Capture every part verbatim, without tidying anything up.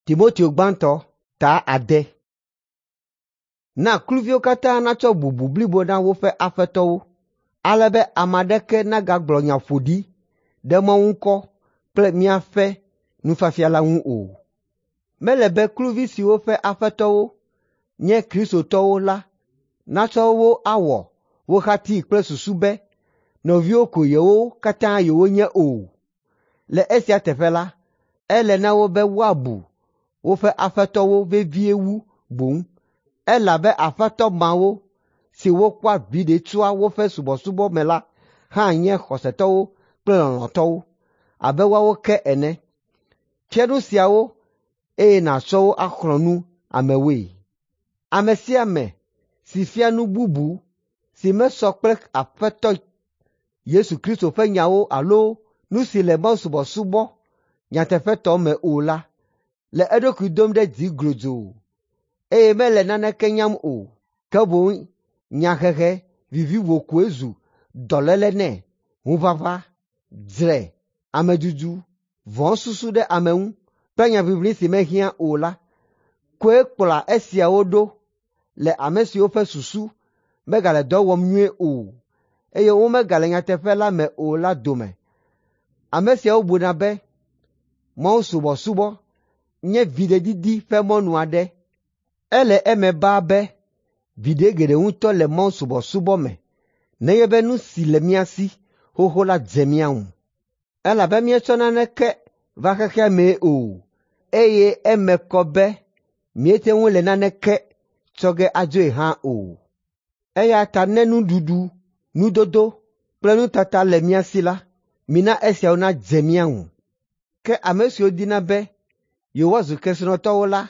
Timoteo gbãtɔ ta ade. Na kluviwo katã natsɔ bubu blibo na woƒe aƒetɔwo, ale be ame aɖeke nagagblɔ nya ƒoɖi ɖe Mawu ŋkɔ kple míaƒe nufiafia la ŋu o. Mele be kluvi siwo ƒe aƒetɔwo nye kristotɔwo la natsɔ wo awɔ wo hatii kple susu be nɔviwo ko yewo katã yewonye o. Le esia teƒe la, ele na wo be woabu woƒe aƒetɔwo vevie wu boŋ, elabe aƒetɔ mawo siwo kpɔa viɖe tsoa woƒe subɔsubɔ me la hã nye xɔsetɔwo kple lɔlɔ̃tɔwo abe woawo ke ene. Fia nu siawo eye nàtsɔ wo axlɔ̃ nu amewoe. Ame sia ame si fia nu bubu si mesɔ kple Aƒetɔ Yesu Kristo ƒe nyawo alo nu si le mawusubɔsubɔ nyateƒetɔ me o la, le eɖokui dom ɖe dzi glodzoo, eye mele naneke nyam o, ke boŋ nyahehe vivivo koe zu dɔléle nɛ, ŋuʋaʋã, dzre, amedudu, vɔ̃susu ɖe ame ŋu kple nyaʋiʋli si mehiã o la koe kplɔa esiawo ɖo le ame siwo ƒe susu megale dɔ wɔm nyuie o, eye womegale nyateƒe la me o la dome. Ame siawo buna be mawusubɔsubɔ nye viɖedidi ƒe mɔnu aɖe. Ele eme baa be viɖe geɖe ŋutɔ le mawusubɔsubɔ me nenye be nu si le mía si xoxo la dze mía ŋu. Elabe míetsɔ naneke va xexea mee o, eye eme kɔ be míete ŋu le naneke tsɔ ge adzoe hã o. Eya ta ne nuɖuɖu, nudodo kple nutata le mía si la, mina esiawo nadze mía ŋu. Ke ame siwo dina be yewoazu kesinɔtɔwo la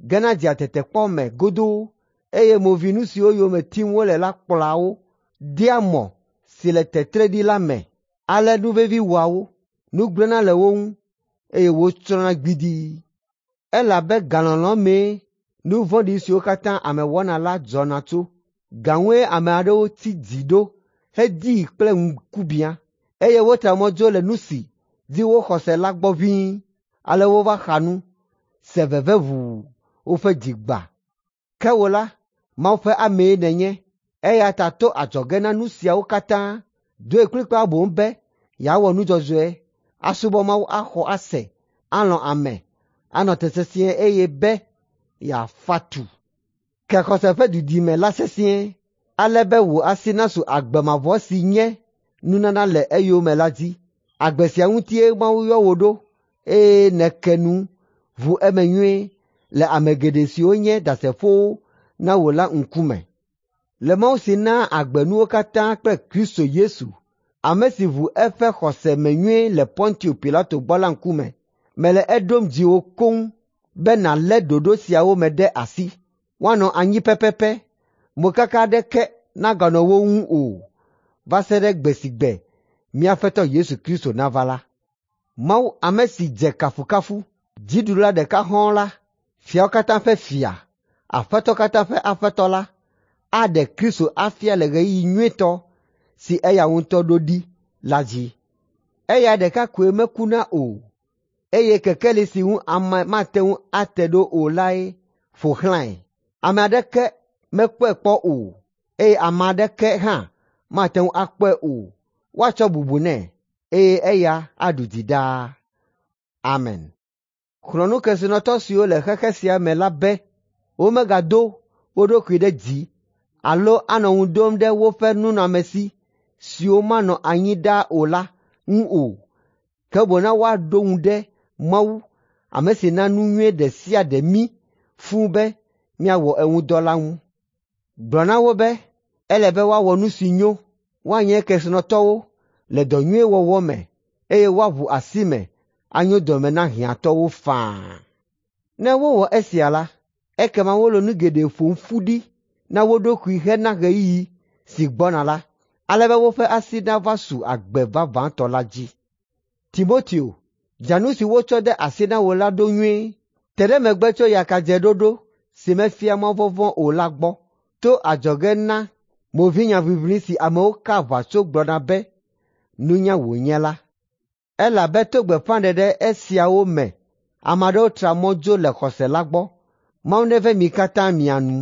gena dzea tetekpɔ me godoo, eye movinu siwo yome tim wole la kplɔa wo dea mɔ si le tetre ɖi la me. Ale nuvevi wɔa wo, nu gblẽna le wo ŋu, eye wotsrɔ̃na gbidii. Elabe galɔlɔ̃ mee nu vɔ̃ɖi siwo katã ame wɔna la dzɔna tso. Ga ŋue ame aɖewo tsi dzi ɖo hedii kple ŋkubiã, eye wotra mɔ dzo le nu si dzi woxɔ se la gbɔ ʋĩi. Ale wova xa nu, se veve ʋuu woƒe dzi gbã. Ke wò la, Mawu ƒe amee nènye, eya ta to adzɔge na nu siawo katã, doe kplikpaa boŋ be yeawɔ nu dzɔdzɔe, asubɔ Mawu axɔ ase, alɔ̃ ame, anɔ te sesĩe eye be yeafa tu. Ke xɔse ƒe dudime la sesĩe, ale be wò asi nasu agbe mavɔ si nye nunana le eyome la dzi. Agbe sia ŋutie Mawu yɔ wò ɖo, eye nèke nu ʋu eme nyuie le ame geɖe siwo nye ɖasefowo na wò la ŋkume. Le Mawu si naa agbe nuwo katã kple Kristo Yesu, ame si ʋu eƒe xɔse me nyuie le Pontio Pilato gbɔ la ŋkume, mele eɖom dziwò koŋ be nàlé ɖoɖo siawo me ɖe asi, woanɔ anyi pɛpɛpɛ, mokaka aɖeke naganɔ wo ŋu o, va se ɖe gbe si gbe mía Aƒetɔ Yesu Kristo nava la. Mawu ame si dze kafukafu, dziɖula ɖeka hɔ̃ɔ la, fiawo katã ƒe fia, aƒetɔ katã ƒe aƒetɔ la, aɖe Kristo afia le ɣeyiɣi nyuitɔ si eya ŋutɔ ɖo ɖi la dzi. Eya ɖeka koe mekuna o, eye kekeli si ŋu ame mate ŋu ate ɖo o lae ƒo xlãe. Ame aɖeke mekpɔe kpɔ o, eye ame aɖeke hã mate ŋu akpɔe o. Woatsɔ bubu nɛ, eye eya aɖu dzi ɖaa. Amen. Xlɔ̃ nu kesinɔtɔ siwo le xexe sia me la be womegado wo ɖokui ɖe dzi alo anɔ ŋu ɖom ɖe woƒe nunɔamesi siwo manɔ anyi ɖaa o la ŋu o, ke boŋ na woaɖo ŋu ɖe Mawu, ame si na nu nyui ɖe sia ɖe mí fũu be míawɔ eŋu dɔ la ŋu. Gblɔ na wo be ele be woawɔ nu si nyo, woanye kesinɔtɔwo le dɔ nyui wɔwɔ me, eye woaʋu asi me anyo dɔme na hiãtɔwo faa. Ne wowɔ esia la, ekema wole nu geɖe ƒom ƒu ɖi na wo ɖokui hena ɣeyiɣi si gbɔna la, ale be woƒe asi nava su agbe vavãtɔ la dzi. Timoteo, dzra nu si wotsɔ de asi na wò la ɖo nyuie. Te ɖe megbe tso yakadzeɖoɖo si mefia mavɔvɔ̃ o la gbɔ, to adzɔge na movinyaʋiʋli si amewo ka aʋatso gblɔna be nunya wònye la. Elabe to gbeƒãɖeɖe esiawo me Ame aɖewo tra mɔ dzo le xɔse la gbɔ. Mawu neve mi katã mia nu.